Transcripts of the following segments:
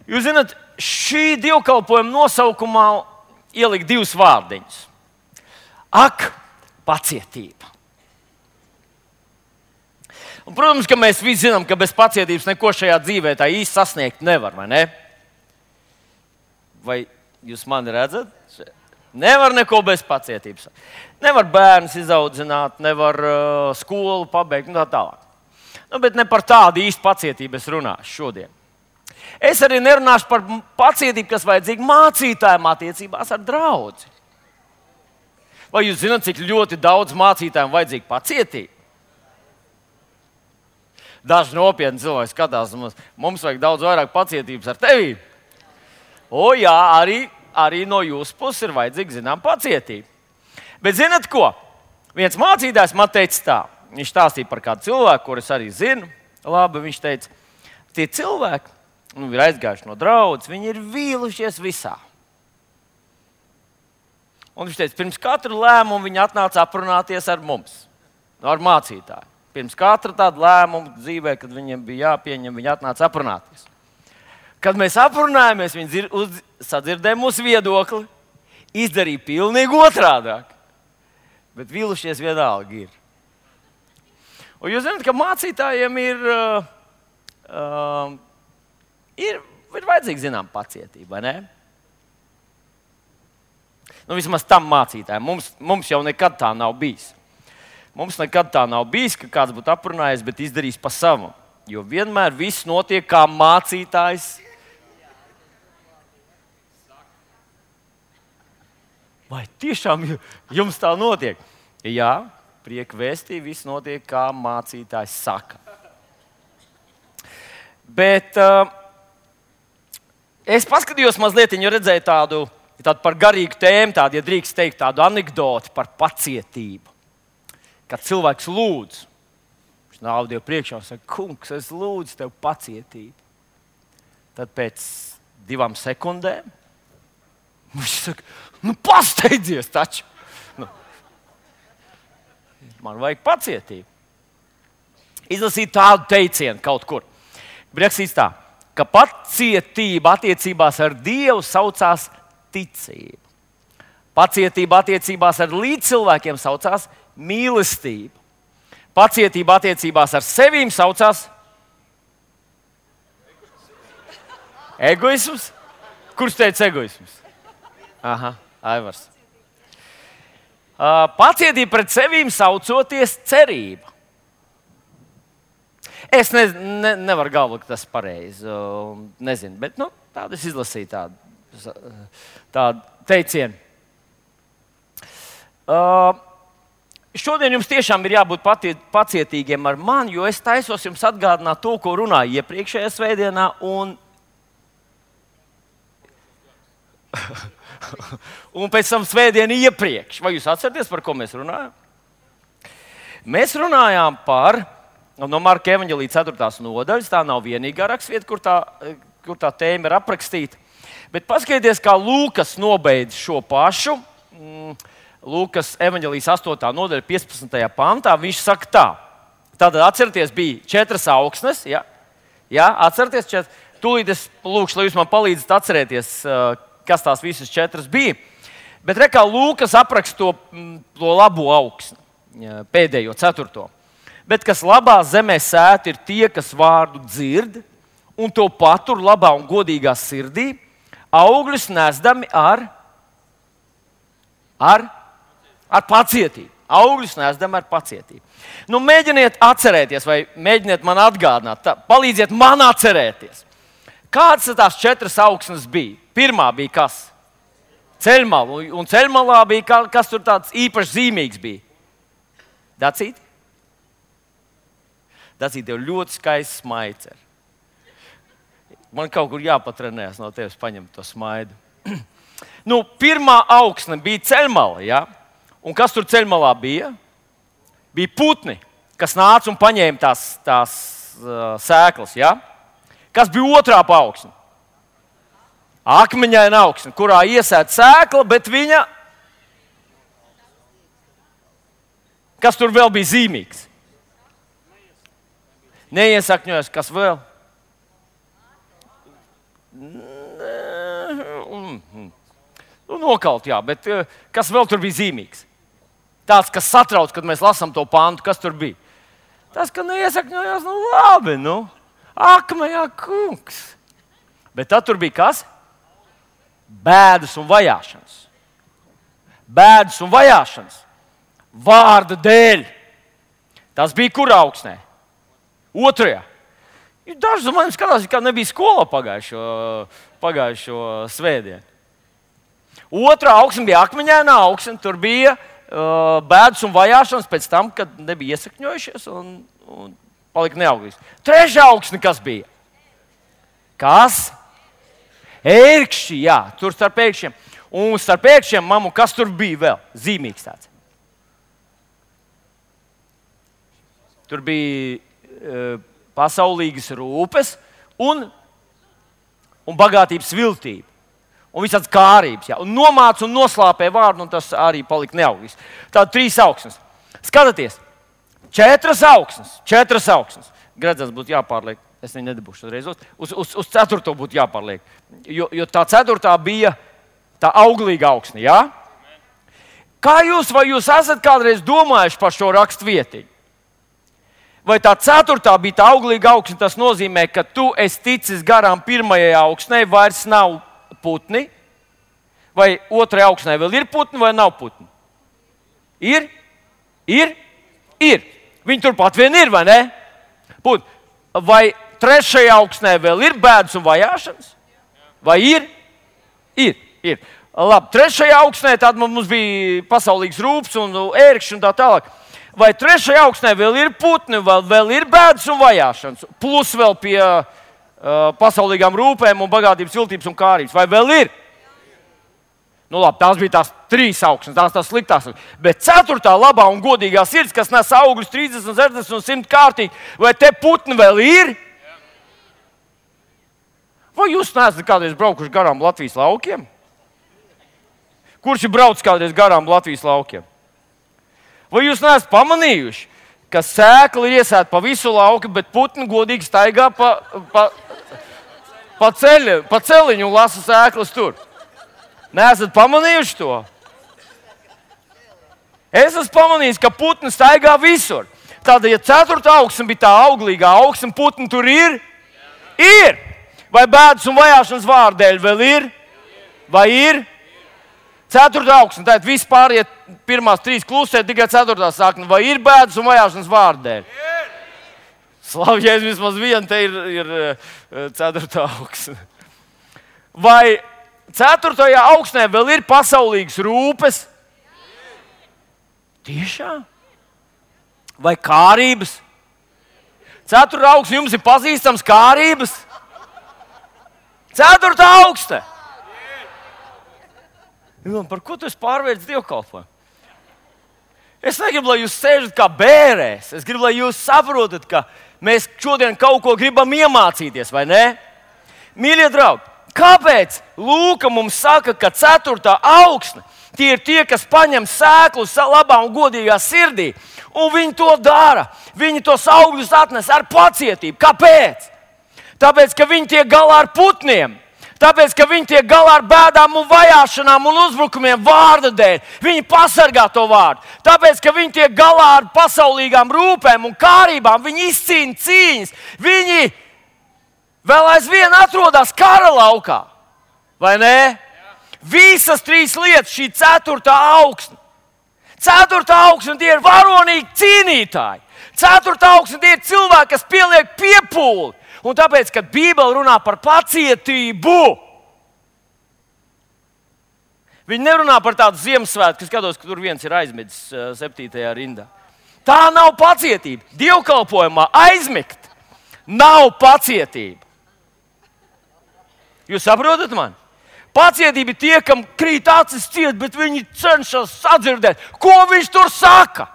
Jūs zināt, šī dievkalpojuma nosaukumā ielikt divus vārdiņus. Ak, pacietība. Un, protams, ka mēs visi zinām, ka bez pacietības neko šajā dzīvē tā īsti sasniegt nevar, vai ne? Vai jūs mani redzat? Nevar neko bez pacietības. Nevar bērnus izaudzināt, nevar skolu pabeigt un tā tālāk. Bet ne par tādu īstu pacietību es runāšu šodien. Es arī nerunāšu par pacietību, kas vajadzīga mācītājiem attiecībās ar draudzi. Vai jūs zināt, cik ļoti daudz mācītājiem vajadzīga pacietība? Daži nopietni cilvēki skatās, mums vajag daudz vairāk pacietības ar tevi. O jā, arī no jūsu puses ir vajadzīga, zinām, pacietība. Bet zināt ko? Viens mācītājs man teica tā. Viņš stāstīja par kādu cilvēku, kurus arī zinu. Labi, viņš teica, tie cilvēki ir aizgājuši no draudzes, viņi ir vīlušies visā. Un viņš teica, pirms katru lēmumu viņi atnāca aprunāties ar mums, ar mācītāju. Pirms katra tāda lēmuma dzīvē, kad viņiem bija jāpieņem, viņi atnāca aprunāties. Kad mēs aprunājāmies, viņi sadzirdēja mūsu viedokli, izdarīja pilnīgi otrādāk. Bet vīlušies vienalga ir. Un jūs zināt, ka mācītājiem ir vajadzīga, zinām, pacietība, vai ne? Vismaz tam mācītājiem. Mums jau nekad tā nav bijis. Mums nekad tā nav bijis, ka kāds būtu aprunājies, bet izdarījis pa savam. Jo vienmēr viss notiek kā mācītājs. Vai tiešām jums tā notiek? Jā, prieka vēstī, viss notiek kā mācītājs saka. Bet es paskatījos mazliet, jo redzēju tādu par garīgu tēmu, tādu, ja drīkst teikt, tādu anekdoti par pacietību. Kad cilvēks lūdz, viņš nāv Dievu priekšā un saka, kungs, es lūdzu tev pacietību. Tad pēc 2 sekundēm viņš saka, pasteidzies taču. Man vajag pacietību. Izlasīt tādu teicienu kaut kur. Rakstīts tā, ka pacietība attiecībās ar Dievu saucās ticība. Pacietība attiecībās ar līdzcilvēkiem saucās mīlestība. Pacietība attiecībās ar sevīm saucās egoisms. Kurš teica egoisms? Aha, Aivars. Pacietība pret sevīm saucoties cerība. Es nevaru galvot, ka tas ir pareizi. Nezinu, bet tādu es izlasīju tādu teicienu. Šodien jums tiešām ir jābūt pacietīgiem ar mani, jo es taisos jums atgādināt to, ko runāju iepriekšējā svētdienā. Un pēc tam svētdienu iepriekš. Vai jūs atceraties, par ko mēs runājām? Mēs runājām par no Marka evaņģēlija 4. nodaļas. Tā nav vienīgā rakstvieta, kur tā tēma ir aprakstīta. Bet paskatieties, kā Lūkas nobeidz šo pašu. Lūkas evaņģēlijas 8. nodaļa 15. pantā. Viņš saka tā. Tātad atcerieties, bija 4 augsnes. Ja? Jā, atcerieties 4. Tūlīt es lūkšu, lai jūs man palīdzat atcerēties, kas tās visas 4 bija. Bet re, kā Lūkas apraksta to labo augsni, pēdējo 4. Bet kas labā zemē sēt, ir tie, kas vārdu dzird un to patur labā un godīgā sirdī, augļus nesdami ar pacietību. Augļus nesdami ar pacietību. Mēģiniet atcerēties, vai mēģiniet man atgādināt, palīdziet man atcerēties. Kādas tās 4 augsnes bija? Pirmā bija kas? Ceļmala. Un ceļmalā bija kas tur tāds īpaši zīmīgs bija? Dacīt? Dacīt, tev ļoti skaists smaids. Man kaut kur jāpatrenējas no tevis paņemt to smaidu. Pirmā augsne bija ceļmala. Ja? Un kas tur ceļmalā bija? Bija putni, kas nāca un paņēma tās sēklas. Ja? Kas bija otrā augsne? Akmeņaina augsne, kurā iesēta sēkla, bet viņa... Kas tur vēl bija zīmīgs? Neiesakņojas, kas vēl? Nokalt, jā, bet kas vēl tur bija zīmīgs? Tāds, kas satrauc, kad mēs lasām to pāntu, kas tur bija. Tas, ka neiesakņojās, labi, akmejā kungs. Bet tad tur bija kas? Bēdas un vajāšanas. Bēdas un vajāšanas. Vārda dēļ. Tas bija kur augsnē? Otrajā. Daži no maniem skatās, kā nebija skolā pagājušo svētdienu. Otrā augsne bija akmeņainā augsne. Tur bija bēdas un vajāšanas pēc tam, kad nebija iesakņojušies un palika neauglīgs. Trešā augsne kas bija? Kas? Ērkšķi, jā, tur starp ērkšķiem. Un starp ērkšķiem, mamu, kas tur bija vēl? Zīmīgs tāds. Tur bija pasaulīgas rūpes un bagātības viltība. Un visāds kārības. Jā. Un nomāca un noslāpē vārdu, un tas arī palika neauglīgs. Tātad 3 augsnes. Skatieties, 4 augsnes. Gredzens būtu jāpārliek. Es viņu nedabūšu uzreiz. Uz 4. būtu jāpārliek. Jo tā 4. bija tā auglīga augsne. Jā? Vai jūs esat kādreiz domājuši par šo rakstvietiņu? Vai tā 4. bija tā auglīga augsne, tas nozīmē, ka tu esi ticis garām 1. augsnē, vairs nav putni? Vai 2. augsnē vēl ir putni vai nav putni? Ir? Viņi turpat vien ir, vai ne? Putni. Vai 3. augsnē vēl ir bēdas un vajāšanas? Vai ir? Ir. Labi, 3. augsnē tad mums bija pasaulīgs rūpes un ērkšķi un tā tālāk. Vai 3. augsnē vēl ir putni, vēl ir bēdas un vajāšanas? Plus vēl pie pasaulīgām rūpēm un bagātības, viltības un kārības. Vai vēl ir? Labi, tās bija tās 3 augsnes, tās sliktās. Bet 4. labā un godīgā sirds, kas nes augļus 30, 60 un 100 kārtīgi, vai te putni vēl ir? Vai jūs neesat kādreiz braukuši garām Latvijas laukiem? Kurš ir braucis kādreiz garām Latvijas laukiem? Vai jūs neesat pamanījuši, ka sēkla ir iesēta pa visu lauku, bet putni godīgi staigā pa celiņu un lasa sēklas tur? Neesat pamanījuši to? Es esmu pamanījis, ka putni staigā visur. Tātad, ja 4. augsne bija tā auglīgā augsne, putni tur ir? Ir! Vai bēdas un vajāšanas vārdēļ vēl ir? Vai ir? 4. augsne, tātad viss pāriet pirmās 3 klusē, tikai 4. sākne. Vai ir bēdas un vajāšanas vārdēļ? Slavējies, vismaz viena te ir 4. augsne. Vai 4. augsnē vēl ir pasaulīgas rūpes? Tiešām? Vai kārības? 4. augsne jums ir pazīstams kārības? 4. augsne! Par ko tu esi pārvērtis dievkalpojumu? Es negribu, lai jūs sēžat kā bērēs. Es gribu, lai jūs saprotat, ka mēs šodien kaut ko gribam iemācīties, vai ne? Mīļie draugi! Kāpēc Lūka mums saka, ka 4. augsne tie ir tie, kas paņem sēklu labā un godīgā sirdī, un viņi to dara? Viņi tos augļus atnes ar pacietību. Kāpēc? Tāpēc, ka viņi tiek galā ar putniem. Tāpēc, ka viņi tiek galā ar bēdām un vajāšanām un uzbrukumiem vārda dēļ. Viņi pasargā to vārdu. Tāpēc, ka viņi tiek galā ar pasaulīgām rūpēm un kārībām. Viņi izcīna cīņas. Viņi vēl aizvien atrodas kara laukā. Vai ne? Visas 3 lietas, šī 4. augsne. 4. augsne tie ir varonīgi cīnītāji. 4. augsne tie ir cilvēki, kas pieliek piepūli. Un tāpēc, kad Bībele runā par pacietību, viņi nerunā par tādu Ziemassvētku, kas skatos, ka tur viens ir aizmidzis 7. rindā. Tā nav pacietība. Dievkalpojumā aizmigt nav pacietība. Jūs saprotat mani? Pacietība ir tie, kam krīt acis ciet, bet viņi cenšas sadzirdēt, ko viņš tur saka.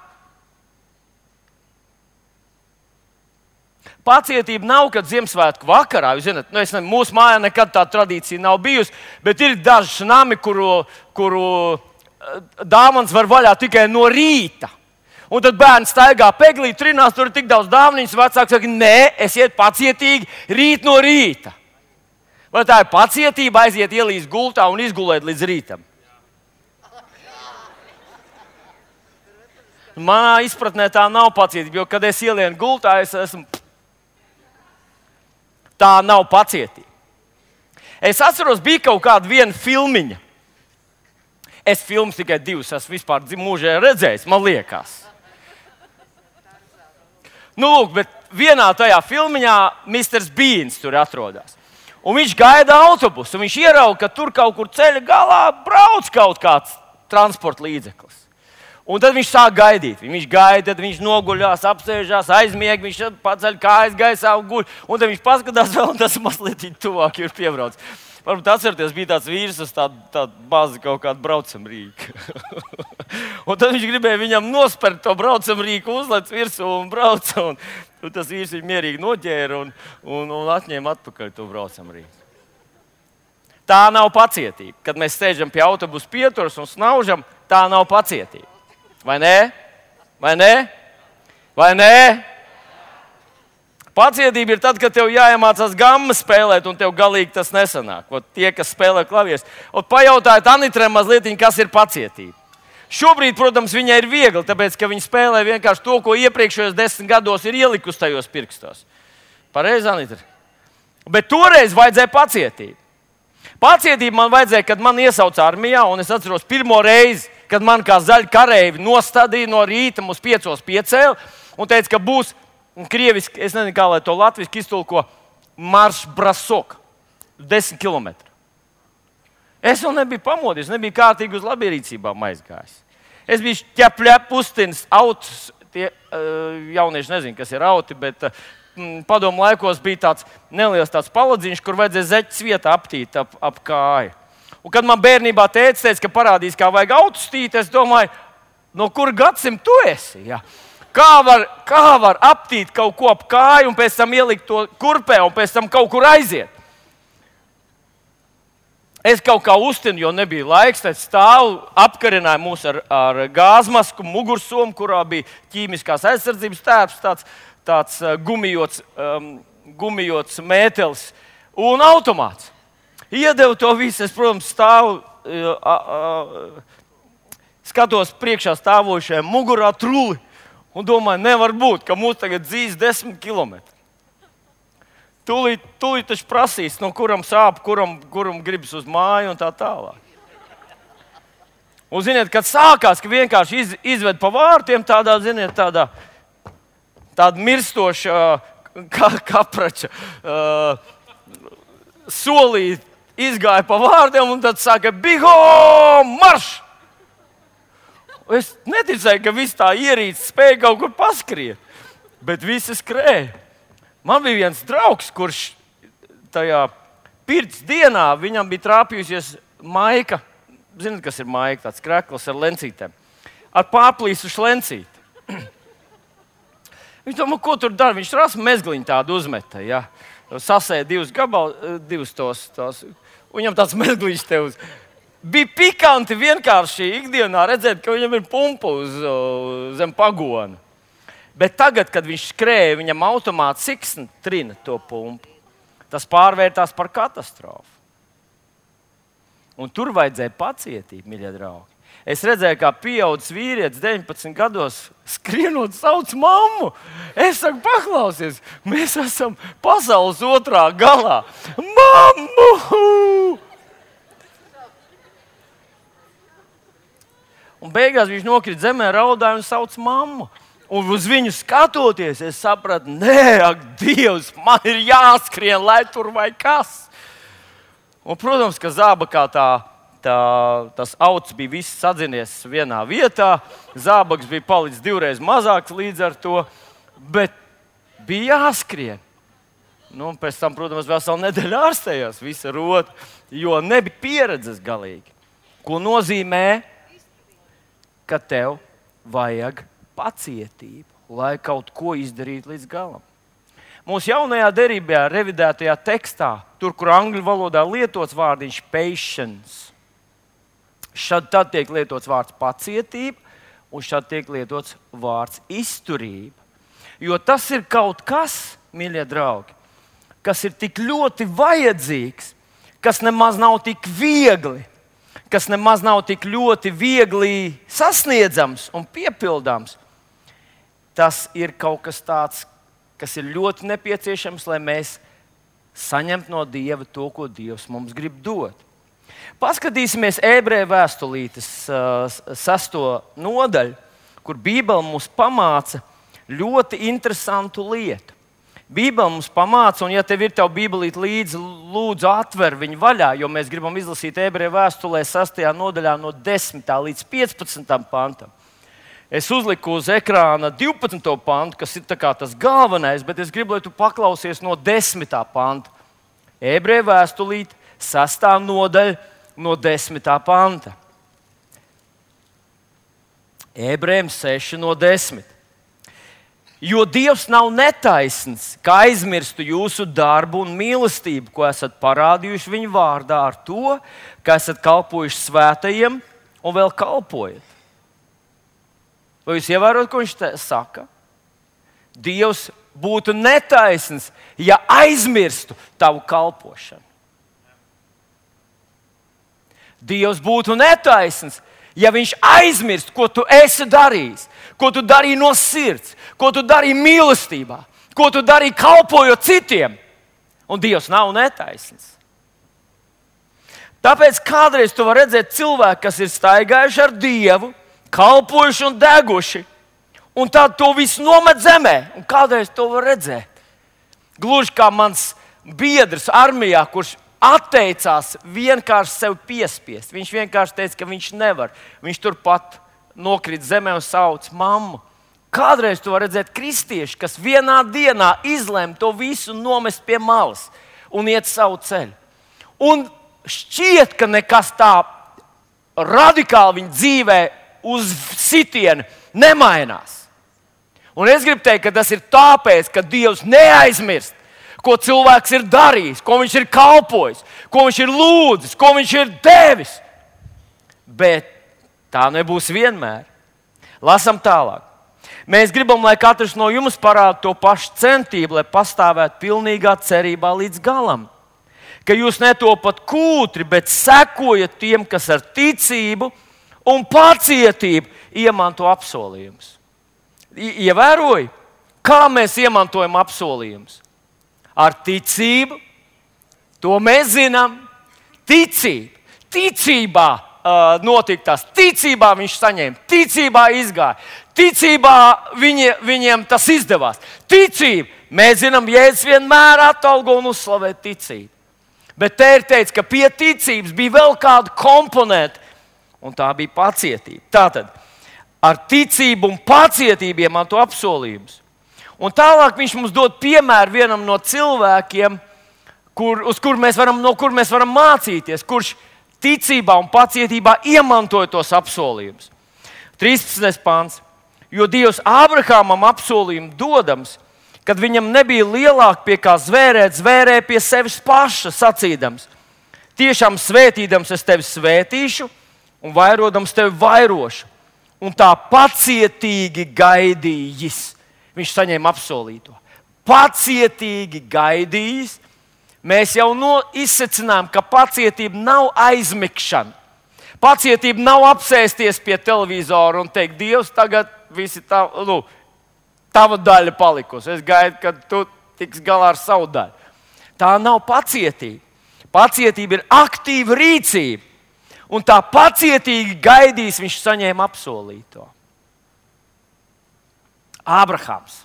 Pacietība nav, kad Ziemassvētku vakarā, jūs zināt, mūsu mājā nekad tāda tradīcija nav bijusi, bet ir daži nami, kuru dāvanas var vaļā tikai no rīta. Un tad bērns staigā peglī, trinās, tur ir tik daudz dāvanas, vecāki saka, nē, esiet pacietīgi rīt no rīta. Vai tā ir pacietība aiziet ielīst gultā un izgulēt līdz rītam? Manā izpratnē tā nav pacietība, jo, kad es ielienu gultā, es esmu... Tā nav pacietība. Es atceros, bija kaut kāda viena filmiņa. Es filmas tikai 2 esmu vispār mūžē redzējis, man liekas. Nu, lūk, bet vienā tajā filmiņā Mr. Beans tur atrodas. Un viņš gaida autobusu, un viņš ierauga, ka tur kaut kur ceļa galā brauc kaut kāds transporta līdzeklis. Un tad viņš sāk gaidīt. Viņš gaida, tad viņš noguļās, apsēžās, aizmieg, viņš paceļ kājas gaisā un guļ. Un tad viņš paskatās vēl, un tas mazliet tuvāk ir piebraucis. Varbūt atcerieties, bija tāds vīrs, tāda baza kaut kāda braucamrīka. Un tad viņš gribēja viņam nospērt to braucamrīku, uzlec virsū un brauca. Un tas vīrs viņu mierīgi noķēra un atņēma atpakaļ to braucamrīku. Tā nav pacietība. Kad mēs sēžam pie autobusa pieturas un snaužam, tā nav pacietība. Vai nē? Vai nē? Vai nē? Pacietība ir tad, kad tev jāiemācās gammas spēlēt, un tev galīgi tas nesanāk. Ot, tie, kas spēlē klavierus. Pajautājiet Anitrai mazliet, kas ir pacietība. Šobrīd, protams, viņai ir viegli, tāpēc, ka viņa spēlē vienkārši to, ko iepriekšējos 10 gados ir ielikusi tajos pirkstos. Pareizi, Anitra? Bet toreiz vajadzēja pacietību. Pacietību man vajadzēja, kad man iesauca armijā, un es atceros pirmo reizi, kad man kā zaļi kareivi nostādīja no rīta mums 5 piecēli un teica, ka būs krieviski, es nezinu, kā lai to latviski iztulko, marš brasok, 10 km. Es vēl nebiju pamodies, nebiju kārtīgi uz labierīcībām aizgājis. Es biju ķepļep pustins, autus, tie jaunieši nezinu, kas ir auti, bet padomu laikos bija tāds neliels tāds paladziņš, kur vajadzēja zeķes vietā aptīt ap kāju. Un kad man bērnībā teica, ka parādīs, kā vajag autus tīt, es domāju, no kur gadsimta tu esi? Ja? Kā var aptīt kaut ko ap kāju un pēc tam ielikt to kurpē un pēc tam kaut kur aiziet? Es kaut kā uztinu, jo nebija laiks, tad stāvu apkarināja mūs ar gāzmasku, mugursomu, kurā bija ķīmiskās aizsardzības tērps, tāds gumijots mētelis un automāts. Iedevu to visu, es, protams, stāvu, skatos priekšā stāvošajai mugurā truli un domāju, nevar būt, ka mūs tagad dzīs 10 km. Tūlīt taču prasīs, no kuram sāp, kuram gribas uz māju un tā tālāk. Un, ziniet, kad sākās, ka vienkārši izved pa vārtiem tāda mirstoša kaprača solīt, izgāja pa vārdiem un tad sāka biho, marš! Es neticēju, ka viss tā ierīce spēja kaut kur paskriet, bet visi skrēja. Man bija viens draugs, kurš tajā pirts dienā viņam bija trāpījusies maika. Zināt, kas ir maika? Tāds krekls ar lencītēm. Ar pārplīsušu lencīti. Viņš domā, ko tur dara? Viņš rasu mezgliņu tādu uzmeta. Ja? Sasēja 2 gabalus, 2 tos. Un viņam tāds mezgliņš te uz. Bija pikanti vienkārši ikdienā redzēt, ka viņam ir pumpa zem pagona. Bet tagad, kad viņš skrēja, viņam automāts siksni trina to pumpu. Tas pārvērtās par katastrofu. Un tur vajadzēja pacietību, mīļie draugi. Es redzēju, kā pieaudzis vīrietis 19 gados skrienot sauc mammu. Es saku, paklausies, mēs esam pasaules otrā galā. Mammu! Un beigās viņš nokrīt zemē, raudāja un sauc mammu. Un uz viņu skatoties, es sapratu, nē, ak, Dievs, man ir jāskrien, lai tur vai kas. Un, protams, ka zābakā tas auts bija viss sadzinies vienā vietā. Zābaks bija palicis 2 reizes mazāks līdz ar to, bet bija jāskrien. Nu, pēc tam, protams, veselu nedēļu ārstējās visa rota, jo nebija pieredzes galīgi. Ko nozīmē, ka tev vajag pacietību, lai kaut ko izdarītu līdz galam. Mūsu jaunajā derībā, revidētajā tekstā, tur, kur angļu valodā lietots vārdiņš patience, šad tad tiek lietots vārds pacietība, un šad tiek lietots vārds izturība. Jo tas ir kaut kas, mīļie draugi, kas ir tik ļoti vajadzīgs, kas nemaz nav tik viegli, kas nemaz nav tik ļoti viegli sasniedzams un piepildāms, tas ir kaut kas tāds, kas ir ļoti nepieciešams, lai mēs saņemtu no Dieva to, ko Dievs mums grib dot. Paskatīsimies Ebreju vēstulītes 6. nodaļu, kur Bībele mums pamāca ļoti interesantu lietu. Bībele mums pamāca, un ja tev ir tava Bībelīte līdzi, lūdzu atver viņu vaļā, jo mēs gribam izlasīt Ebreju vēstulē 6. nodaļā no 10. līdz 15. pantam. Es uzliku uz ekrāna 12. pantu, kas ir tas galvenais, bet es gribu, lai tu paklausies no 10. panta. Ebreju vēstulīte 6. nodaļa no 10. panta. Ebrejiem 6 no 10. Jo Dievs nav netaisns, ka aizmirstu jūsu darbu un mīlestību, ko esat parādījuši viņa vārdā ar to, ka esat kalpojuši svētajiem un vēl kalpojat. Vai jūs ievērojat, ko viņš saka? Dievs būtu netaisns, ja aizmirstu tavu kalpošanu. Dievs būtu netaisns, ja viņš aizmirst, ko tu esi darījis, ko tu darīji no sirds, ko tu darīji mīlestībā, ko tu darīji kalpojot citiem. Un Dievs nav netaisns. Tāpēc kādreiz tu vari redzēt cilvēku, kas ir staigājuši ar Dievu, kalpojuši un deguši, un tad to visu nomet zemē. Un kādreiz to var redzēt. Gluži kā mans biedrs armijā, kurš atteicās vienkārši sev piespiest. Viņš vienkārši teica, ka viņš nevar. Viņš turpat nokrita zemē un sauca mammu. Kādreiz tu vari redzēt kristieši, kas vienā dienā izlēma to visu nomest pie malas un iet savu ceļu. Un šķiet, ka nekas tā radikāli viņa dzīvē uz sitienu nemainās. Un es gribu teikt, ka tas ir tāpēc, ka Dievs neaizmirst, ko cilvēks ir darījis, ko viņš ir kalpojis, ko viņš ir lūdzis, ko viņš ir devis. Bet tā nebūs vienmēr. Lasam tālāk. Mēs gribam, lai katrs no jums parāda to pašu centību, lai pastāvētu pilnīgā cerībā līdz galam. Ka jūs netopat kūtri, bet sekojat tiem, kas ar ticību un pacietību iemanto apsolījumus. Ievēroji, kā mēs iemantojam apsolījumus? Ar ticību, to mēs zinām, ticība. Ticībā notika tas, ticībā viņš saņēma, ticībā izgāja, ticībā viņiem tas izdevās. Ticība, mēs zinām, Jēzus vienmēr atalgo un uzslavē ticību. Bet te ir teikts, ka pie ticības bija vēl kāda komponenta, un tā bija pacietība. Tātad, ar ticību un pacietību iemanto apsolījumus. Un tālāk viņš mums dod piemēru vienam no cilvēkiem, no kur mēs varam mācīties, kurš ticībā un pacietībā iemantoja tos apsolījumus. 13. pāns. Jo Dievs Ābrahamam apsolījumu dodams, kad viņam nebija lielāk pie kā zvērēt, zvērēja pie sevis paša, sacīdams: tiešām svētīdams es tevi svētīšu un vairodams tevi vairošu. Un tā pacietīgi gaidījis. Viņš saņēma apsolīto. Pacietīgi gaidījis. Mēs jau izsecinām, ka pacietība nav aizmigšana. Pacietība nav apsēsties pie televizora un teikt: Dievs, tagad visi tava daļa palikusi. Es gaidu, kad tu tiks galā ar savu daļu. Tā nav pacietība. Pacietība ir aktīva rīcība. Un tā pacietīgi gaidīs, viņš saņēma apsolīto. Ābrahams.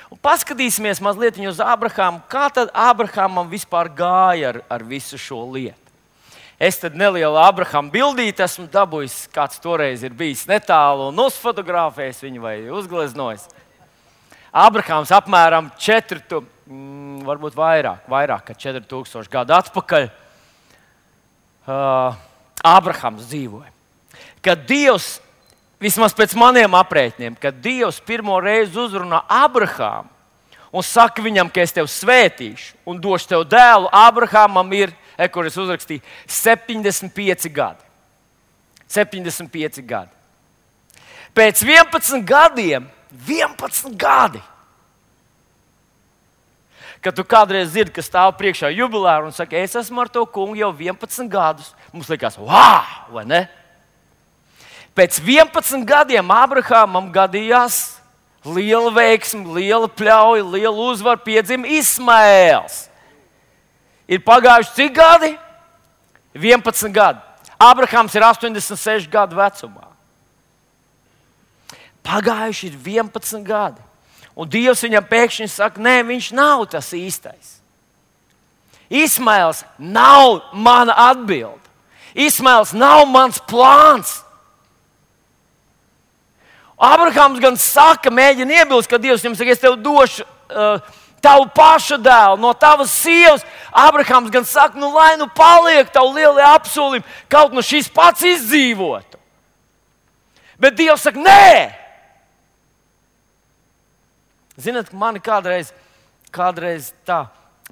Un paskatīsimies mazliet uz Ābrahamu. Kā tad Ābrahamam vispār gāja ar visu šo lietu? Es tad nelielu Ābrahama bildīti esmu dabūjis, kāds toreiz ir bijis netālu un uzfotografējis viņu vai uzgleznojis. Ābrahams apmēram varbūt vairāk kā 4000 gadu atpakaļ Ābrahams dzīvoja. Kad Dievs, vismaz pēc maniem aprēķiniem, kad Dievs pirmo reizi uzrunā Ābrahamu un saka viņam, ka es tevi svētīšu un došu tev dēlu, Ābrahamam ir, kur es uzrakstīju, 75 gadi. 75 gadi. Pēc 11 gadiem, 11 gadi, Kad tu kādreiz dzirdi, ka stāv priekšā jubilāri un saka, es esmu ar to kungu jau 11 gadus. Mums liekas, wow, vai ne? Pēc 11 gadiem Abrahamam gadījās liela veiksme, liela pļauja, liela uzvara, piedzima Ismaēls. Ir pagājuši cik gadi? 11 gadi. Abrahams ir 86 gadu vecumā. Pagājuši ir 11 gadi. Un Dievs viņam pēkšņi saka, nē, viņš nav tas īstais. Ismaēls nav mana atbilde. Ismaēls nav mans plāns. Abrahams gan saka, mēģina iebilst, ka Dievs viņam saka, es tev došu tavu pašu dēlu no tavas sievas. Abrahams gan saka, nu lai nu paliek tavu lielie apsolījumi, kaut no šīs pats izdzīvotu. Bet Dievs saka, nē! Zināt, mani kādreiz tā,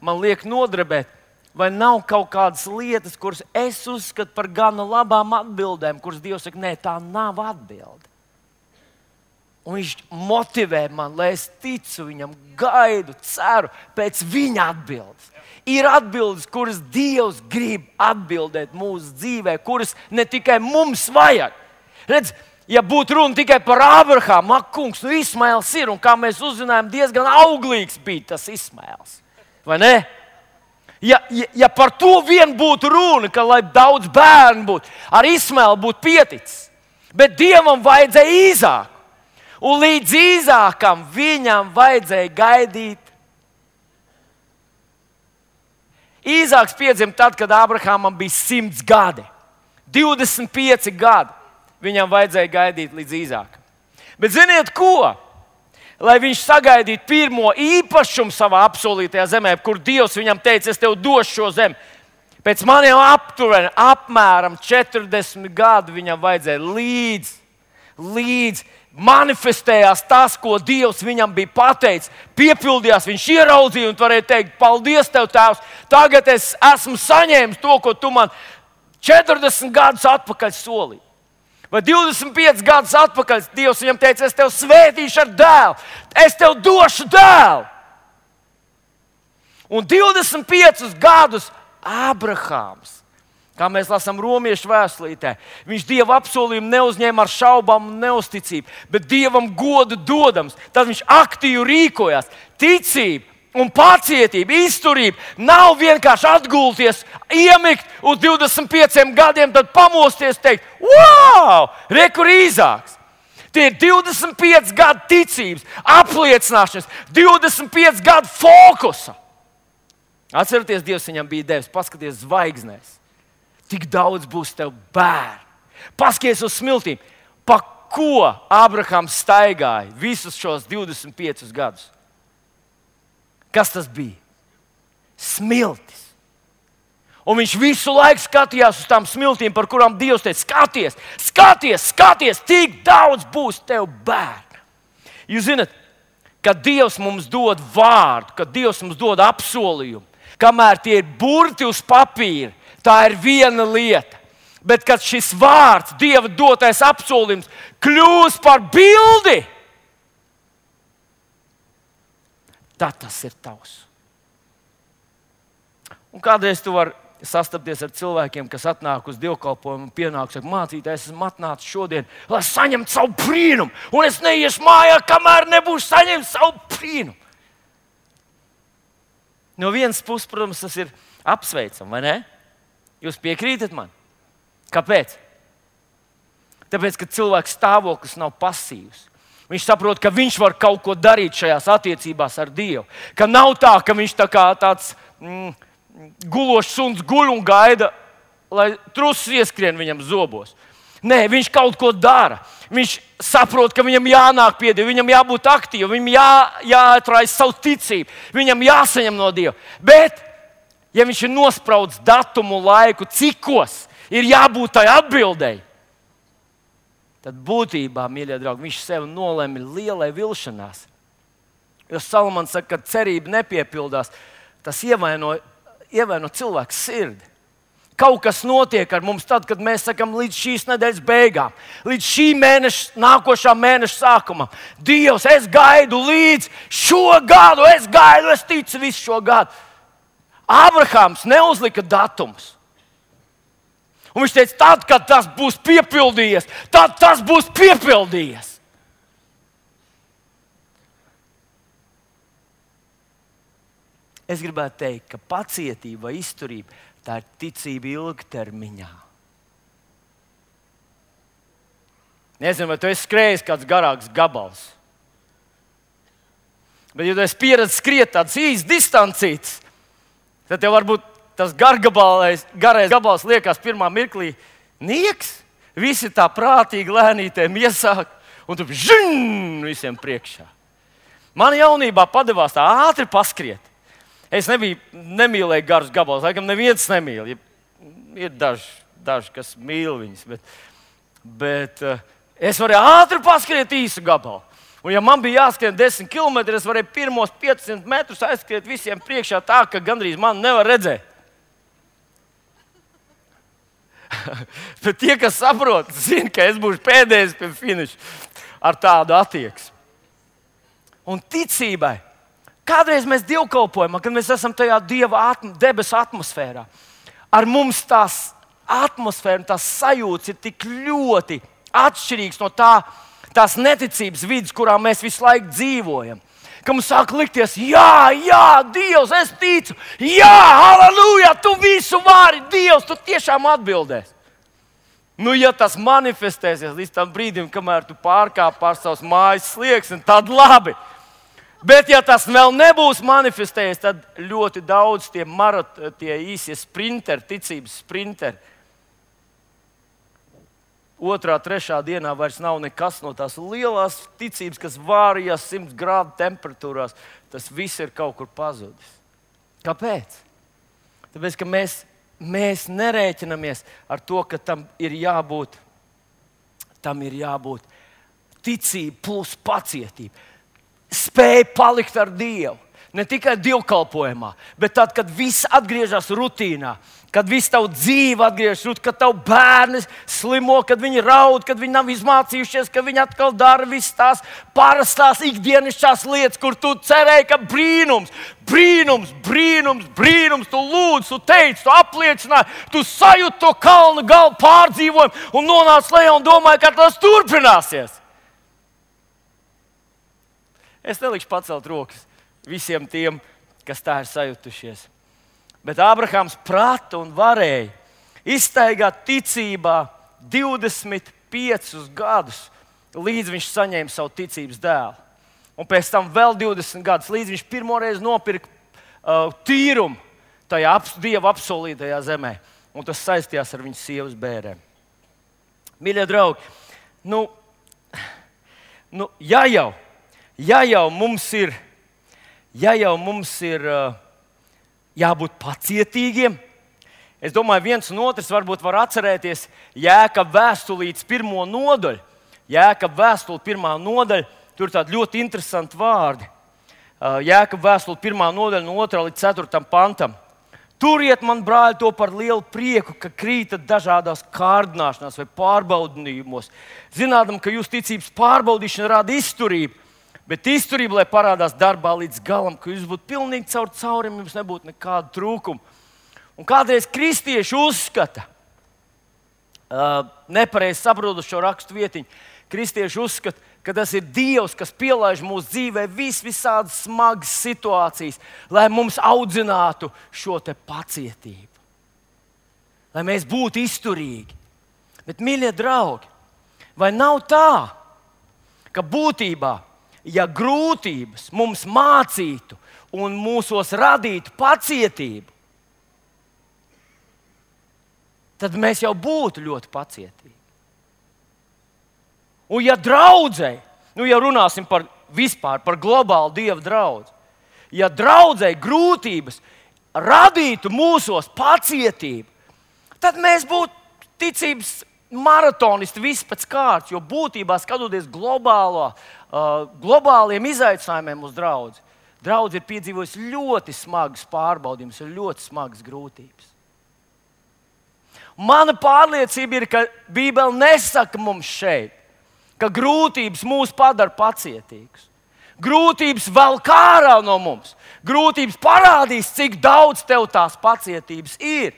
man liek nodrebēt, vai nav kaut kādas lietas, kuras es uzskatu par gana labām atbildēm, kuras Dievs saka, nē, tā nav atbilde. Un viņš motivē man, lai es ticu viņam, gaidu, ceru pēc viņa atbildes. Ir atbildes, kuras Dievs grib atbildēt mūsu dzīvē, kuras ne tikai mums vajag. Redz, ja būtu runa tikai par Abrahamu, ak, kungs, nu Ismaēls ir, un kā mēs uzzinājām, diezgan auglīgs bija tas Ismaēls. Vai ne? Ja par to vien būtu runa, ka lai daudz bērnu būtu, ar Ismaēlu būtu pieticis. Bet Dievam vajadzēja Īzāku. Un līdz Īzākam viņam vajadzēja gaidīt. Īzāks piedzima tad, kad Abrahamam bija 100 gadi. 25 gadi. Viņam vajadzēja gaidīt līdz Īzākam. Bet ziniet ko? Lai viņš sagaidītu pirmo īpašumu savā apsolītajā zemē, kur Dievs viņam teica, es tev došu šo zemi. Pēc maniem apmēram 40 gadu viņam vajadzēja līdz manifestējās tas, ko Dievs viņam bija pateicis. Piepildījās, viņš ieraudzīja un varēja teikt, paldies tev, Tēvs, tagad es esmu saņēmis to, ko tu man 40 gadus atpakaļ solīji. Vai 25 gadus atpakaļ Dievs viņam teica, es tev svētīšu ar dēlu, es tev došu dēlu. Un 25 gadus Abrahams, kā mēs lasām Romiešu vēstulītē, viņš Dieva apsolījumu neuzņēma ar šaubām un neusticību, bet Dievam godu dodams. Tad viņš aktīvi rīkojās. Ticība un pacietība, izturība nav vienkārši atgulties, iemigt uz 25 gadiem, tad pamosties un teikt, wow, re, kur Īzāks. Tie ir 25 gadu ticības, apliecināšanas, 25 gadu fokusa. Atcerieties, Dievs viņam bija devis, paskaties zvaigznēs. Tik daudz būs tev bērnu. Paskaties uz smiltīm. Pa ko Abrahams staigāja visus šos 25 gadus? Kas tas bija? Smiltis. Un viņš visu laiku skatījās uz tām smiltīm, par kurām Dievs teica, skaties, tik daudz būs tev bērnu. Jūs zināt, kad Dievs mums dod vārdu, kad Dievs mums dod apsolījumu, kamēr tie ir burti uz papīra, tā ir viena lieta. Bet kad šis vārds, Dieva dotais apsolījums, kļūs par bildi, tad tas ir tavs. Un kādreiz tu vari sastapties ar cilvēkiem, kas atnāk uz dievkalpojumu un pienāk, saka, mācītājs, esmu atnācis šodien, lai saņemtu savu brīnumu, un es neiešu mājā, kamēr nebūšu saņemt savu brīnumu. No vienas puses, protams, tas ir apsveicami, vai ne? Jūs piekrītat man? Kāpēc? Tāpēc, ka cilvēks stāvoklis nav pasīvs. Viņš saprot, ka viņš var kaut ko darīt šajās attiecībās ar Dievu. Ka nav tā, ka viņš tā kā tāds gulošs suns guļ un gaida, lai trusis ieskrien viņam zobos. Nē, viņš kaut ko dara. Viņš saprot, ka viņam jānāk pie Dieva, viņam jābūt aktīvam, viņam jāatraisa savu ticību, viņam jāsaņem no Dieva. Bet, ja viņš ir nospraudis datumu, laiku, cikos ir jābūt tai atbildēji, tad būtībā, mīļie draugi, viņš sev nolēma lielai vilšanās. Jo Salamans saka, ka cerība nepiepildās, tas ievaino cilvēku sirdi. Kaut kas notiek ar mums tad, kad mēs sakam līdz šīs nedēļas beigām, līdz šī mēneša, nākošā mēneša sākumam. Dievs, es gaidu līdz šo gadu, es ticu visu šo gadu. Ābrahāms neuzlika datumus. Un viņš teica, tad, kad tas būs piepildījies, tad tas būs piepildījies. Es gribētu teikt, ka pacietība vai izturība tā ir ticība ilgtermiņā. Nezinu, vai tu esi skrējis kāds garāks gabals. Bet, ja tu esi pieredzējis skriet tādas īstas distancītas, tad tev varbūt tas garais gabals liekas pirmā mirklī nieks. Visi tā prātīgi lēnītēm iesāk, un tu žin visiem priekšā. Man jaunībā padevās tā ātri paskriet. Es nemīlēju garus gabalus, laikam neviens nemīl. Ir daži, kas mīl viņus, bet es varēju ātri paskriet īsu gabalu. Un ja man bija jāskrien 10 km, es varēju pirmos 500 metrus aizskriet visiem priekšā tā, ka gandrīz mani nevar redzēt. Bet tie, kas saprot, zina, ka es būšu pēdējais pie finiša ar tādu attieksmi. Un ticībai. Kādreiz mēs dievkalpojam, kad mēs esam tajā Dieva debesu atmosfērā. Ar mums tās atmosfēra un tās sajūtas ir tik ļoti atšķirīgas no tās neticības vidas, kurā mēs visu laiku dzīvojam. Ka mums sāk likties, jā, Dievs, es ticu, jā, halleluja, tu visu vari, Dievs, tu tiešām atbildēsi. Nu, ja tas manifestēsies līdz tam brīdim, kamēr tu pārkāp pār savas mājas slieksni, tad labi. Bet, ja tas vēl nebūs manifestējies, tad ļoti daudz tie īsie sprinteri, ticības sprinteri, 2., 3. dienā vairs nav nekas no tās lielās ticības, kas vārījās 100 grādu temperatūrās. Tas viss ir kaut kur pazudis. Kāpēc? Tāpēc, ka mēs nerēķinamies ar to, ka tam ir jābūt ticība plus pacietība. Spēj palikt ar Dievu. Ne tikai dievkalpojumā, bet tad, kad viss atgriežas rutīnā, kad viss tavu dzīve atgriežas rutīnā, kad tavu bērni slimo, kad viņi raud, kad viņi nav izmācījušies, ka viņi atkal dara visas tās parastās ikdienišķās lietas, kur tu cerēji, ka brīnums, tu lūdz, tu teici, tu apliecināji, tu sajūti to kalnu galu pārdzīvojumu un nonāc lejā un domāji, ka tas turpināsies. Es nelikšu pacelt rokas visiem tiem, kas tā ir sajutušies. Bet Ābrahāms prata un varēja izstaigāt ticībā 25 gadus, līdz viņš saņēma savu ticības dēlu. Un pēc tam vēl 20 gadus, līdz viņš pirmoreiz nopirka tīrumu tajā Dieva apsolītajā zemē. Un tas saistījās ar viņas sievas bērēm. Mīļie draugi, ja jau mums ir jābūt pacietīgiem, es domāju, viens un otrs varbūt var atcerēties Jēkaba vēstulītes 1. nodaļu. Jēkaba vēstule 1. nodaļa, tur ir tādi ļoti interesanti vārdi. Jēkaba vēstule 1. nodaļa no 2. līdz 4. pantam. Turiet, man brāļi, to par lielu prieku, ka krītat dažādās kārdināšanās vai pārbaudījumos. Zinādam, ka jūsu ticības pārbaudīšana rada izturību. Bet izturība, lai parādās darbā līdz galam, ka jūs būtu pilnīgi caurim, jums nebūtu nekāda trūkuma. Un kādreiz kristieši uzskata, nepareizi saprotot šo rakstu vietiņu, kristieši uzskata, ka tas ir Dievs, kas pielaiž mūsu dzīvē visādas smagas situācijas, lai mums audzinātu šo te pacietību. Lai mēs būtu izturīgi. Bet, mīļie draugi, vai nav tā, ka būtībā, ja grūtības mums mācītu un mūsos radītu pacietību, tad mēs jau būtu ļoti pacietīgi. Un ja draudzei, ja runāsim par globālu Dieva draudzi, ja draudzei grūtības radītu mūsos pacietību, tad mēs būtu ticības maratonisti viss pēc kārtas, jo būtībā skatoties globāliem izaicinājumiem uz draudzi, draudzi ir piedzīvojusi ļoti smagas pārbaudījumus, ļoti smagas grūtības. Mana pārliecība ir, ka Bībele nesaka mums šeit, ka grūtības mūs padara pacietīgus. Grūtības velk ārā no mums. Grūtības parādīs, cik daudz tev tās pacietības ir.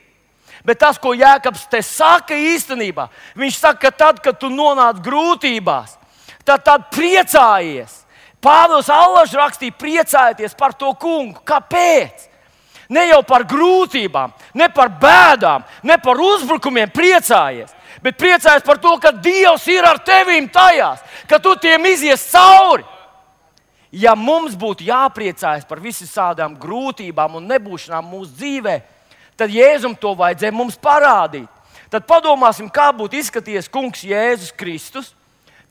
Bet tas, ko Jēkabs te saka īstenībā, viņš saka, ka tad, kad tu nonāc grūtībās, tad priecājies. Pāvils allaž rakstīja, priecājieties par to kungu. Kāpēc? Ne jau par grūtībām, ne par bēdām, ne par uzbrukumiem priecājies, bet priecājies par to, ka Dievs ir ar tevīm tajās, ka tu tiem izies cauri. Ja mums būtu jāpriecājas par visām grūtībām un nebūšanām mūsu dzīvē, tad Jēzum to vajadzēja mums parādīt. Tad padomāsim, kā būtu izskatījies kungs Jēzus Kristus,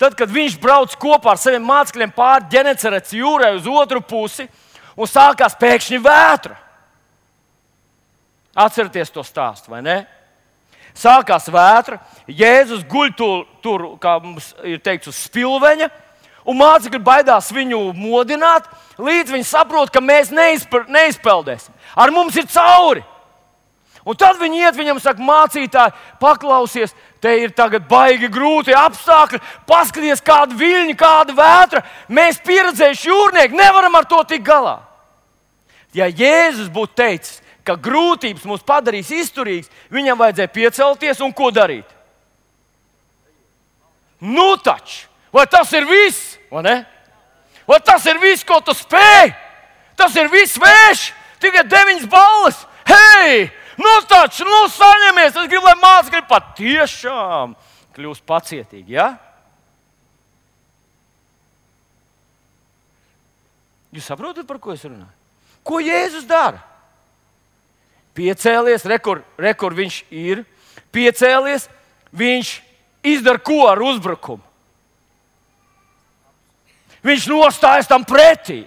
tad, kad viņš brauc kopā ar saviem mācekļiem pāri Ģenecaretes jūrai uz otru pusi un sākās pēkšņi vētra. Atcerieties to stāstu, vai ne? Sākās vētra, Jēzus guļ tur, kā mums ir teikts, uz spilveņa, un mācekļi baidās viņu modināt, līdz viņi saprot, ka mēs neizpeldēsim. Ar mums ir cauri. Un tad viņi iet viņam saka, mācītāji, paklausies, te ir tagad baigi grūti apstākļi, paskaties, kāda viļņa, kāda vētra. Mēs pieredzējuši jūrnieki, nevaram ar to tikt galā. Ja Jēzus būtu teicis, ka grūtības mūs padarīs izturīgus, viņam vajadzēja piecelties un ko darīt? Nu taču, vai tas ir viss? Vai ne? Vai tas ir viss, ko tu spēj? Tas ir viss vējš, tikai 9 balvas. Hei! Nu taču, saņemies! Es gribu, lai mācekļi patiešām kļūst pacietīgi, ja? Jūs saprotat, par ko es runāju? Ko Jēzus dara? Piecēlies, rekur viņš ir. Piecēlies, viņš izdara ko ar uzbrukumu? Viņš nostājas tam pretī.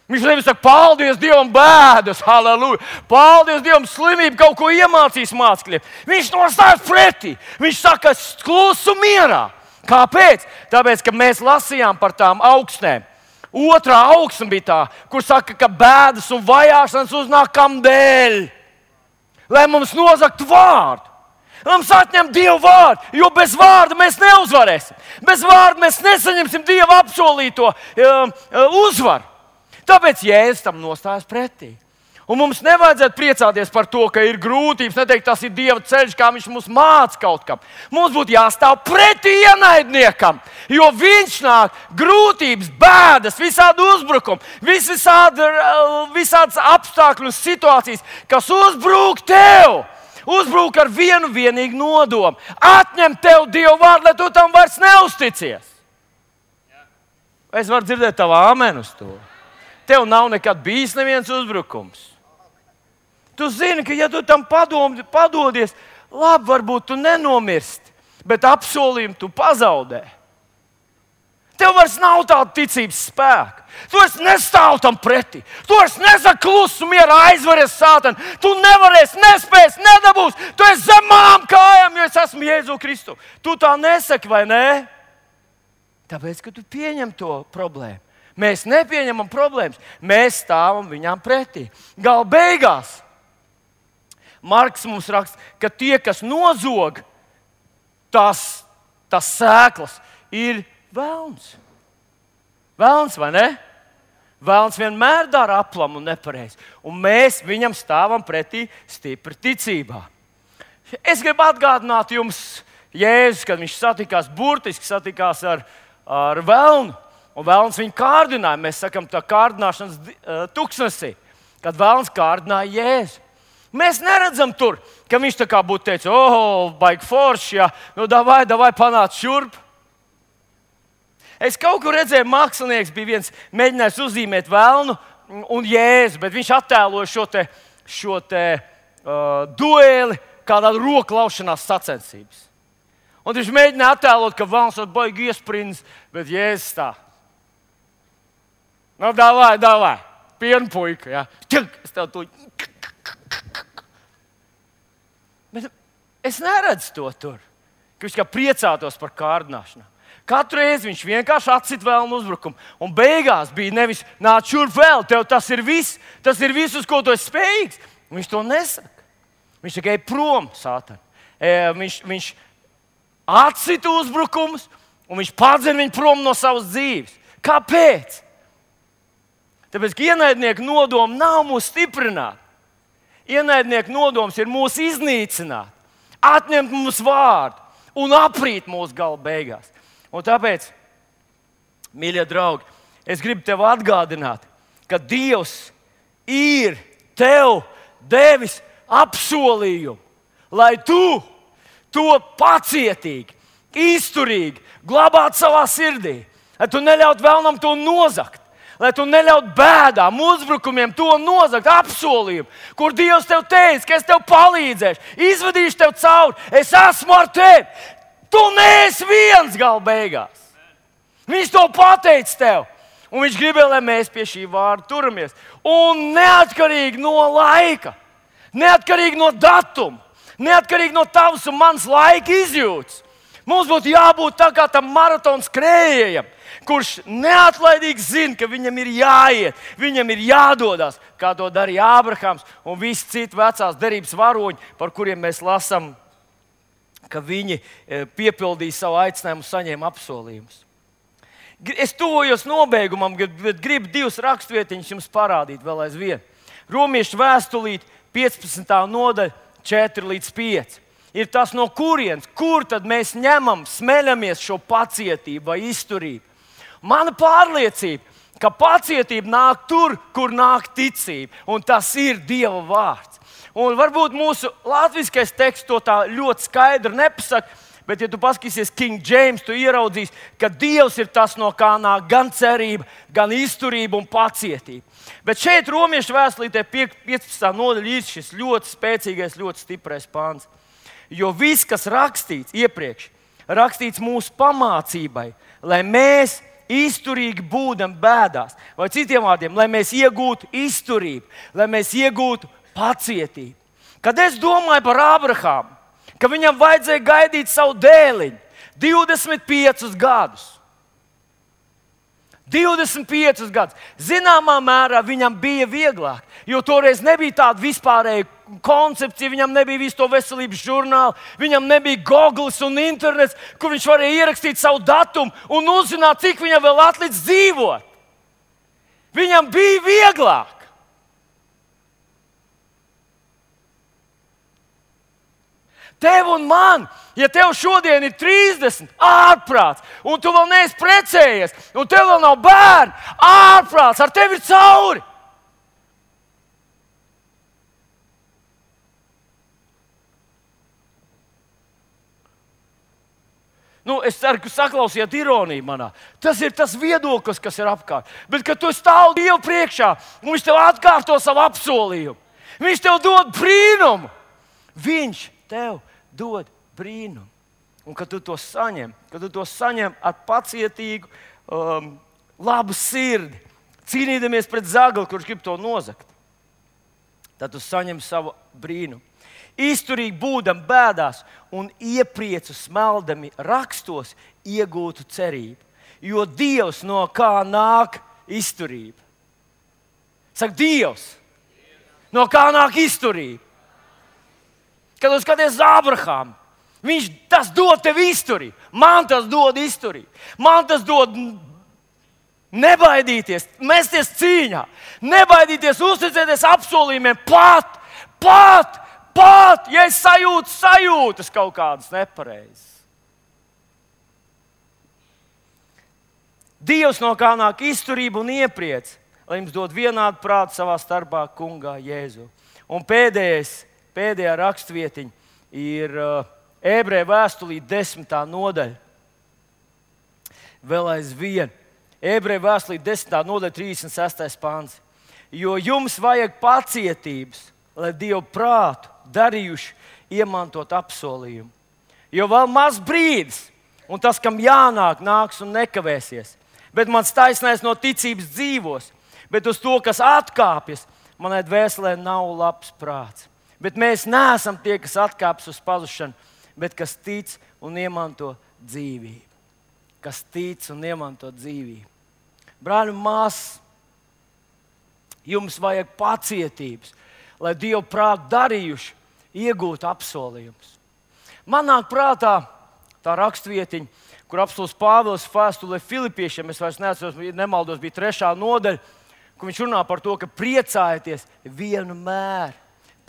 Viņš nevis saka, paldies Dievam, bēdas, halleluja. Paldies Dievam, slimība kaut ko iemācīs mācekļiem. Viņš nostājas pretī. Viņš saka, klusu mierā. Kāpēc? Tāpēc, ka mēs lasījām par tām augstnēm. Otrā augsne bija tā, kur saka, ka bēdas un vajāšanas uznāk kam dēļ. Lai mums nozagtu vārdu. Mums atņem Dieva vārdu, jo bez vārda mēs neuzvarēsim. Bez vārda mēs nesaņemsim Dieva apsolīto uzvaru. Tāpēc Jēzus tam nostājas pretī. Un mums nevajadzētu priecāties par to, ka ir grūtības, neteikt, tas ir Dieva ceļš, kā viņš mums māca kaut kam. Mums būtu jāstāv pretī ienaidniekam, jo viņš nāk grūtības, bēdas, visādi uzbrukumi, visādas apstākļu un situācijas, kas uzbrūk tev. Uzbrūk ar vienu vienīgu nodomu. Atņem tev Dieva vārdu, lai tu tam vairs neusticies. Es varu dzirdēt tavu āmenu uz to. Tev nav nekad bijis neviens uzbrukums. Tu zini, ka ja tu tam padodies, labi, varbūt tu nenomirsti, bet apsolījumu tu pazaudē. Tev vairs nav tāda ticības spēka. Tu vairs nestāv tam pretī. Tu vairs nesaki klusu mierā, aizveries sātanu. Tu nevarēsi, nespēsi, nedabūsi. Tu esi zem manām kājām, jo es esmu Jēzu Kristu. Tu tā nesaki, vai ne? Tāpēc, ka tu pieņem to problēmu. Mēs nepieņemam problēmas, mēs stāvam viņām pretī. Gala beigās Marks mums raksta, ka tie, kas nozog tās sēklas, ir velns. Velns, vai ne? Velns vienmēr dara aplamu un nepareizi. Un mēs viņam stāvam pretī stipri ticībā. Es gribu atgādināt jums, Jēzus, kad viņš burtiski satikās ar velnu. Un velns viņu kārdināja. Mēs sakām, tā kārdināšanas tuksnesī, kad velns kārdināja Jēzu. Mēs neredzam tur, ka viņš tā kā būtu teicis, baigi forši, ja, nu davai panāc šurp. Es kaut kur redzēju, mākslinieks bija viens mēģinājis uzzīmēt velnu un Jēzu, bet viņš attēloja šo te dueli kā tādu roku laušanās sacensības. Un viņš mēģināja attēlot, ka velns ir baigi iesprindis, bet Jēzus tā. Nu, davai, pienpuika, ja. Es tev to... Bet es neredzu to tur, ka viņš kā priecātos par kārdināšanu. Katru reizi viņš vienkārši atsit velnu uzbrukumu. Un beigās bija nevis nāc šurp vēl, tev tas ir viss, uz ko tu esi spējīgs. Viņš to nesaka. Viņš tikai prom, Sātans. Viņš atsita uzbrukumus, un viņš padzen viņu prom no savas dzīves. Kāpēc? Tāpēc, ka ienaidnieka nodoma nav mūs stiprināt. Ienaidnieka nodoms ir mūs iznīcināt, atņemt mums vārdu un aprīt mūsu gala beigās. Un tāpēc, mīļie draugi, es gribu tev atgādināt, ka Dievs ir tev devis apsolījumu, lai tu to pacietīgi, izturīgi glabātu savā sirdī, lai tu neļautu vēlnam to nozagt, lai tu neļautu bēdām, uzbrukumiem to nozagt, apsolījumu, kur Dievs tev teica, ka es tev palīdzēšu, izvedīšu tev cauri, es esmu ar tevi. Tu neesi viens gala beigās. Viņš to pateica tev. Un viņš gribēja, lai mēs pie šī vārda turamies. Un neatkarīgi no laika, neatkarīgi no datuma, neatkarīgi no tavas un manas laika izjūtas, mums būtu jābūt tā kā tam maratona skrējējam, kurš neatlaidīgi zina, ka viņam ir jāiet, viņam ir jādodas, kā to darīja Ābrahams un visi citi vecās derības varoņi, par kuriem mēs lasām, ka viņi piepildīja savu aicinājumu un saņēma apsolījumus. Es tuvojos nobeigumam, bet gribu 2 rakstvietiņas jums parādīt vēl aizvien. Romiešu vēstulīte 15. nodaļa 4-5. Ir tas, no kurienes, kur tad mēs ņemam, smeļamies šo pacietību vai izturību. Mana pārliecība, ka pacietība nāk tur, kur nāk ticība, un tas ir Dieva vārds. Un varbūt mūsu latviskais teksts to tā ļoti skaidri nepasaka, bet, ja tu paskatīsies King James, tu ieraudzīsi, ka Dievs ir tas, no kā nāk gan cerība, gan izturība un pacietība. Bet šeit Romiešu vēstulītē 15. nodaļā ir šis ļoti spēcīgais, ļoti stiprais pāns. Jo viss, kas rakstīts iepriekš, rakstīts mūsu pamācībai, lai mēs izturīgi būdam bēdās, vai citiem vārdiem, lai mēs iegūtu izturību, lai mēs iegūtu pacietību. Kad es domāju par Ābrahāmu, ka viņam vajadzēja gaidīt savu dēliņu 25 gadus. 25 gadus. Zināmā mērā viņam bija vieglāk, jo toreiz nebija tāda vispārēja koncepcija, viņam nebija visu to veselības žurnālu, viņam nebija Googles un internets, kur viņš varēja ierakstīt savu datumu un uzzināt, cik viņam vēl atlicis dzīvot. Viņam bija vieglāk. Tev un man, ja tev šodien ir 30, ārprāts, un tu vēl neesi precējies, un tev vēl nav bērni, ārprāts, ar tevi ir cauri. Es ceru, ka saklausījāt ironiju manā. Tas ir tas viedoklis, kas ir apkārt. Bet, kad tu stāv Dievu priekšā, un Viņš tev atkārto savu apsolījumu, Viņš tev dod brīnumu. Viņš tev dod brīnumu. Un kad tu to saņem ar pacietīgu, labu sirdi, cīnīdamies pret zagli, kurš grib to nozagt, tad tu saņem savu brīnumu. Izturīgi būdam bēdās un iepriecu smeldami rakstos iegūtu cerību. Jo Dievs, no kā nāk izturība? Saka, Dievs, no kā nāk izturība? Kad tu skaties uz Ābrahāmu, viņš tas dod tev izturību. Man tas dod izturību. Man tas dod nebaidīties, mesties cīņā, nebaidīties, uzticēties apsolījumiem pat, ja es sajūtas kaut kādas nepareizas. Dievs, no kā nāk izturība un iepriec, lai jums dod vienādu prātu savā starpā kungā Jēzu. Un pēdējā rakstvietiņa ir Ebreju vēstulīte 10. nodaļa. Vēl aizvien. Ebreju vēstulīte 10. nodaļa 36. pāns. Jo jums vajag pacietības, lai Dievu prātu darījuši iemantot apsolījumu. Jo vēl maz brīdis, un tas, kam jānāk, nāks un nekavēsies. Bet mans taisnais no ticības dzīvos, bet uz to, kas atkāpjas, manai dvēselē nav labs prāts. Bet mēs neesam tie, kas atkāpjas uz pazušanu, bet kas tic un iemanto dzīvību. Kas tic un iemanto dzīvību. Brāļi un māsas, jums vajag pacietības, lai Dievu prātu darījuši, iegūt apsolījumus. Man nāk prātā tā rakstvietiņa, kur apostuls Pāvils vēstulē Filipiešiem, es vairs nemaldos, bija 3. nodaļa, kur viņš runā par to, ka priecājieties vienmēr.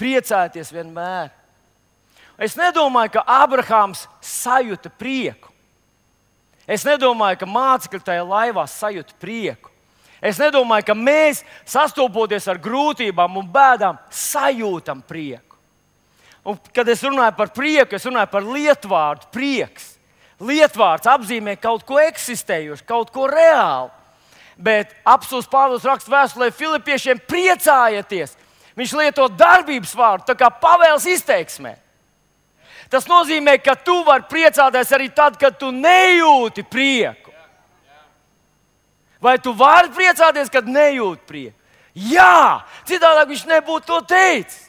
Priecājieties vienmēr. Es nedomāju, ka Abrahāms sajuta prieku. Es nedomāju, ka mācekļi tajā laivā sajuta prieku. Es nedomāju, ka mēs, sastopoties ar grūtībām un bēdām, sajūtam prieku. Un, kad es runāju par prieku, es runāju par lietvārdu prieks. Lietvārds apzīmē kaut ko eksistējošu, kaut ko reālu. Bet apostuls Pāvils raksta vēstulē Filipiešiem: priecājieties! Viņš lieto darbības vārdu, tā kā pavēles izteiksmē. Tas nozīmē, ka tu vari priecāties arī tad, kad tu nejūti prieku. Vai tu vari priecāties, kad nejūti prieku? Jā, citādāk viņš nebūtu to teicis.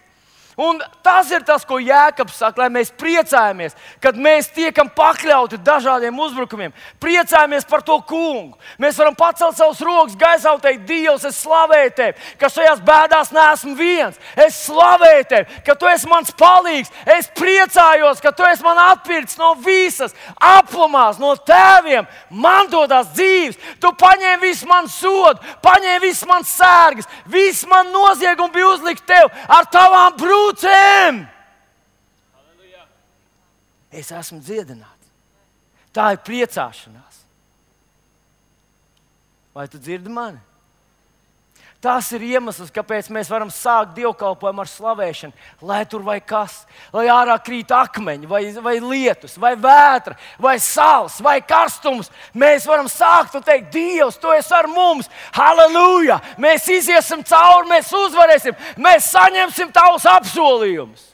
Un tas ir tas, ko Jēkabs saka, lai mēs priecājamies, kad mēs tiekam pakļauti dažādiem uzbrukumiem. Priecājamies par to kungu. Mēs varam pacelt savus rokas gaisā un teikt: Dievs, es slavēju tevi, ka šajās bēdās neesmu viens. Es slavēju tevi, ka tu esi mans palīgs. Es priecājos, ka tu esi man atpircis no visas aplumās, no tēviem mantotās dzīves. Tu paņēmi visu manu sodu, paņēmi visu mans sērgas, visu man noziegumu bija uzlikt tev ar tavām brūcēm. Es esmu dziedināts. Tā ir priecāšanās. Vai tu dzirdi mani? Tas ir iemesls, kāpēc mēs varam sākt dievkalpojumu ar slavēšanu. Lai tur vai kas, lai ārā krīt akmeņi, vai lietus, vai vētra, vai sals, vai karstums. Mēs varam sākt un teikt: Dievs, tu esi ar mums. Halleluja! Mēs iziesim cauri, mēs uzvarēsim, mēs saņemsim tavus apsolījumus.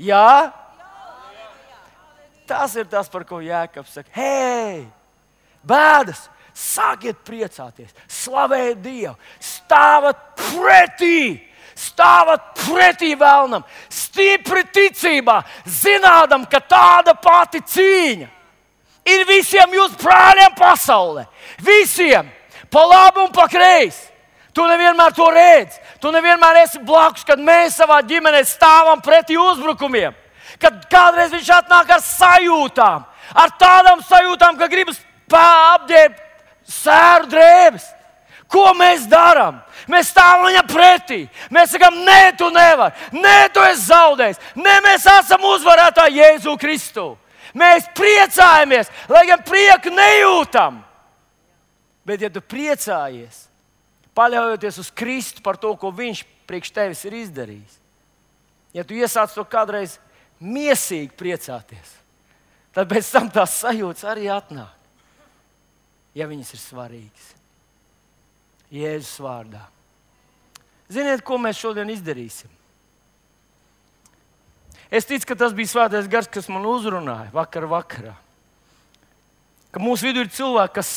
Jā? Tas ir tas, par ko Jēkabs saka: hei, bēdas! Sākiet priecāties, slavējiet Dievu, stāvat pretī vēlnam, stipri ticībā, zinādam, ka tāda pati cīņa ir visiem jūsu brāļiem pasaulē. Visiem, pa labi un pa kreisi. Tu nevienmēr to redzi, tu nevienmēr esi blakus, kad mēs savā ģimenē stāvam pretī uzbrukumiem. Kad kādreiz viņš atnāk ar sajūtām, ar tādām sajūtām, ka gribas apģērbt sēru drēbes. Ko mēs darām? Mēs stāvam viņam pretī. Mēs sakām: nē, tu nevari. Nē, tu esi zaudējis. Nē, mēs esam uzvarētāji Jēzu Kristu. Mēs priecājamies, lai gan prieku nejūtam. Bet, ja tu priecājies, paļaujoties uz Kristu par to, ko Viņš priekš tevis ir izdarījis, ja tu iesāc to kādreiz miesīgi priecāties, tad pēc tam tās sajūtas arī atnāk. Ja viņas ir svarīgas. Jēzus vārdā. Ziniet, ko mēs šodien izdarīsim? Es ticu, ka tas bija Svētais Gars, kas man uzrunāja vakarā. Ka mūsu vidū ir cilvēki, kas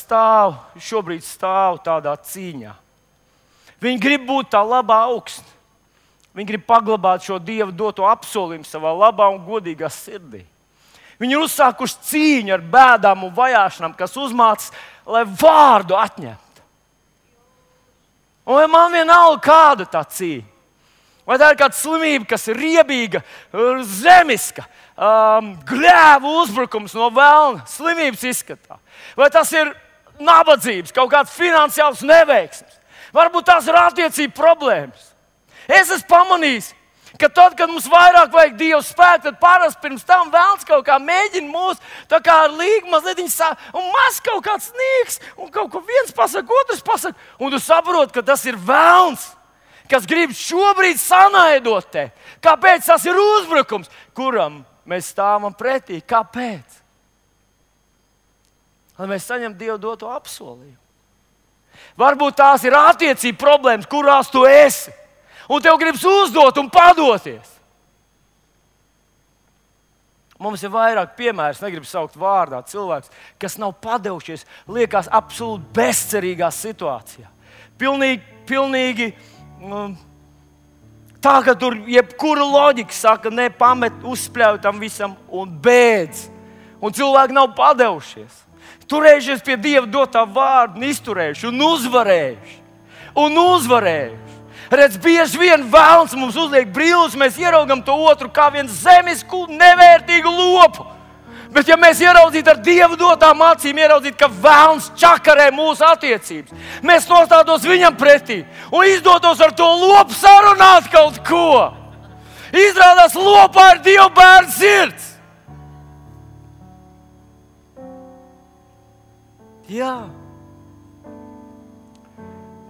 šobrīd stāv tādā cīņā. Viņi grib būt tā labā augstne. Viņi grib paglabāt šo Dieva doto apsolījumu savā labā un godīgā sirdī. Viņi ir uzsākuši cīņu ar bēdām un vajāšanām, kas uzmācas, lai vārdu atņemtu. Un man vienalga, kāda tā cīņa. Vai tā ir kāda slimība, kas ir riebīga, zemiska, gļēvu uzbrukums no velna, slimības izskatā. Vai tas ir nabadzības, kaut kāds finansiāls neveiksmes. Varbūt tās ir attiecību problēmas. Es esmu pamanījis, ka tad, kad mums vairāk vajag Dieva spēku, tad parasti pirms tam velns kaut kā mēģina mūs tā kā ar līgu mazliet un maz kaut kāds sniegs, un kaut ko viens pasaka, otrs pasaka, un tu saproti, ka tas ir velns, kas grib šobrīd sanaidot te. Kāpēc tas ir uzbrukums, kuram mēs stāvam pretī? Kāpēc? Lai mēs saņemtu Dieva doto apsolījumu. Varbūt tās ir attiecību problēmas, kurās tu esi. Un tev gribas uzdot un padoties. Mums ir vairāk piemērs, negribu saukt vārdā cilvēks, kas nav padevušies, liekas absolūti bezcerīgā situācijā. Pilnīgi tā, ka tur jebkura loģika saka, ne, pamet, uzspļauj tam visam un beidz. Un cilvēki nav padevušies. Turējušies pie Dieva dotā vārda un izturējuši un uzvarējuši. Redz, bieži vien vēlns mums uzliek brīvus, mēs ieraugam to otru kā vienu zemisku, nevērtīgu lopu. Bet ja mēs ieraudzītu ar Dievu dotām acīm, ieraudzītu, ka vēlns čakarē mūsu attiecības, mēs nostātos viņam pretī un izdotos ar to lopu sarunāt kaut ko. Izrādās, lopā ir Dieva bērna sirds. Jā.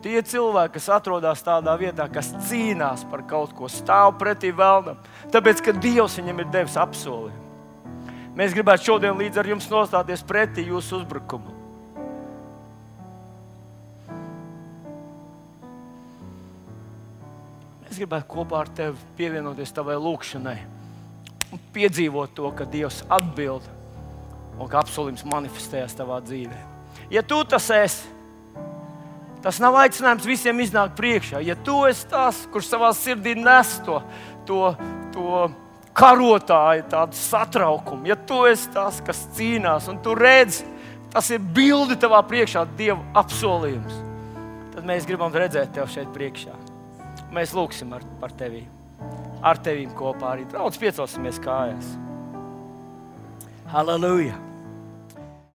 Tie cilvēki, kas atrodas tādā vietā, kas cīnās par kaut ko, stāv pretī vēlnam, tāpēc, ka Dievs viņam ir devis apsolījumu. Mēs gribētu šodien līdz ar jums nostāties pretī jūsu uzbrukumam. Mēs gribētu kopā ar tevi pievienoties tavai lūkšanai un piedzīvot to, ka Dievs atbild un ka apsolījums manifestējas tavā dzīvē. Ja tu tas esi, tas nav aicinājums visiem iznākt priekšā. Ja tu esi tas, kurš savā sirdī nes to karotāju, tādu satraukumu, ja tu esi tas, kas cīnās un tu redzi, tas ir bildi tavā priekšā, Dieva apsolījums, tad mēs gribam redzēt tevi šeit priekšā. Mēs lūksim par tevi, ar tevīm kopā arī. Draudz, piecelsimies kājās. Halleluja!